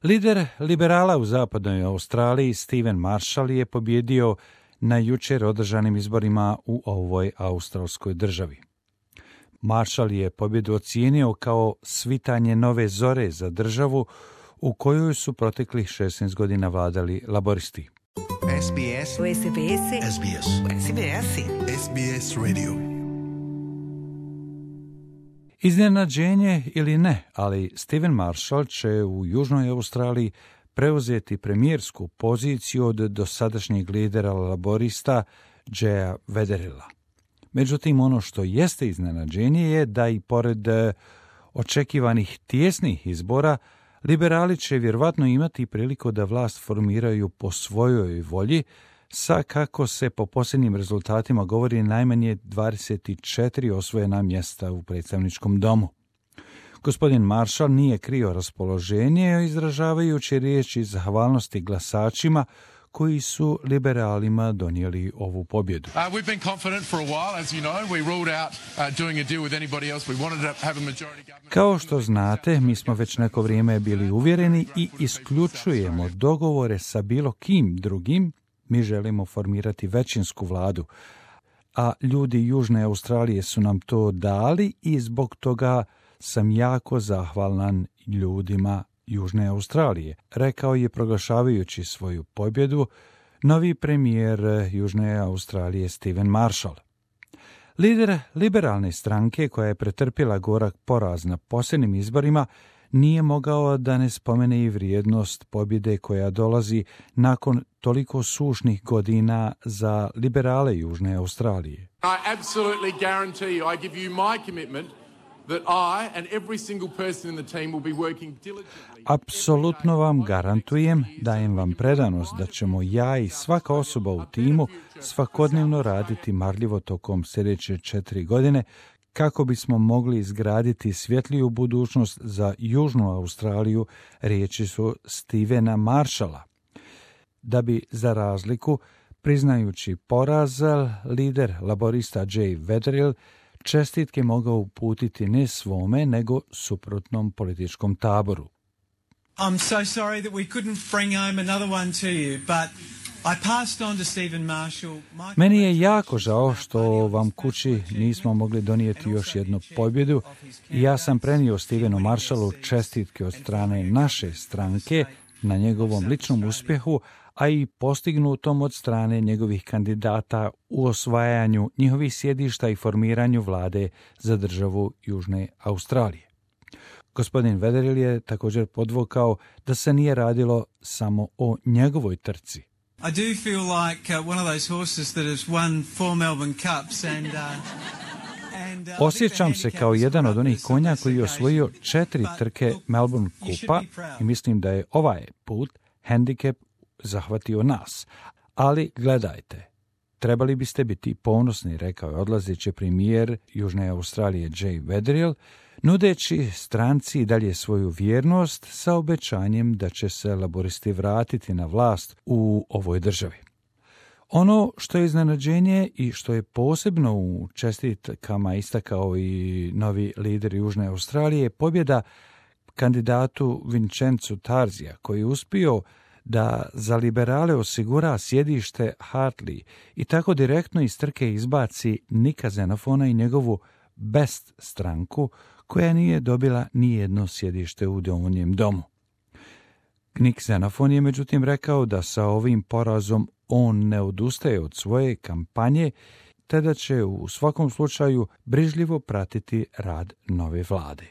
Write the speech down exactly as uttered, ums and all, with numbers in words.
Lider liberala u zapadnoj Australiji Stephen Marshall je pobjedio na jučer održanim izborima u ovoj australskoj državi. Marshall je pobjedu ocijenio kao svitanje nove zore za državu u kojoj su proteklih šesnaest godina vladali laboristi. S B S. S B S. S B S. S B S. S B S Radio. Iznenađenje ili ne, ali Stephen Marshall će u Južnoj Australiji preuzeti premijersku poziciju od dosadašnjeg lidera laborista Jaya Wetherilla. Međutim, ono što jeste iznenađenje je da i pored očekivanih tijesnih izbora, liberali će vjerovatno imati priliku da vlast formiraju po svojoj volji, sa kako se po posljednjim rezultatima govori najmanje dvadeset četiri osvojena mjesta u predstavničkom domu. Gospodin Marshall nije krio raspoloženje, izražavajući riječi zahvalnosti glasačima koji su liberalima donijeli ovu pobjedu. Kao što znate, mi smo već neko vrijeme bili uvjereni i isključujemo dogovore sa bilo kim drugim. Mi želimo formirati većinsku vladu, a ljudi Južne Australije su nam to dali i zbog toga sam jako zahvalan ljudima Južne Australije, rekao je proglašavajući svoju pobjedu novi premijer Južne Australije Stephen Marshall. Lider liberalne stranke koja je pretrpjela gorak poraz na posljednjim izborima nije mogao da ne spomene i vrijednost pobjede koja dolazi nakon toliko sušnih godina za liberale Južne Australije. I absolutely guarantee you, I give you my commitment that I and every single person in the team will be working diligently. Apsolutno vam garantujem, dajem vam predanost da ćemo ja i svaka osoba u timu svakodnevno raditi marljivo tokom sljedeće četiri godine kako bismo mogli izgraditi svjetliju budućnost za Južnu Australiju, riječi su Stephena Marshalla. Da bi, za razliku, priznajući poraz, lider laborista Jay Wetherill čestitke mogao uputiti ne svome, nego suprotnom političkom taboru. I'm so sorry that we couldn't bring home another one to you, but I passed on to Stephen Marshall. Meni je jako žao što vam kući nismo mogli donijeti još jednu pobjedu i ja sam prenio Stephenu Marshallu čestitke od strane naše stranke na njegovom ličnom uspjehu, a i postignutom od strane njegovih kandidata u osvajanju njihovih sjedišta i formiranju vlade za državu Južne Australije. Gospodin Wetherill je također podvukao da se nije radilo samo o njegovoj trci. I do feel like uh, one of those horses that has won four Melbourne Cups and uh, and uh, Osjećam se kao jedan od onih konja koji je osvojio četiri trke Melbourne Kupa i mislim da je ovaj put hendikep zahvatio nas. Ali gledajte, trebali biste biti ponosni, rekao je odlazeći premijer Južne Australije Jay Wetherill, nudeći stranci dalje svoju vjernost sa obećanjem da će se laboristi vratiti na vlast u ovoj državi. Ono što je iznenađenje i što je posebno u čestitkama istakao i novi lider Južne Australije je pobjeda kandidatu Vincenzu Tarzija, koji je uspio da za liberale osigura sjedište Hartley i tako direktno iz trke izbaci Nika Xenofona i njegovu Best stranku, koja nije dobila ni jedno sjedište u Donjem domu. Nik Xenofon je međutim rekao da sa ovim porazom on ne odustaje od svoje kampanje, te da će u svakom slučaju brižljivo pratiti rad nove vlade.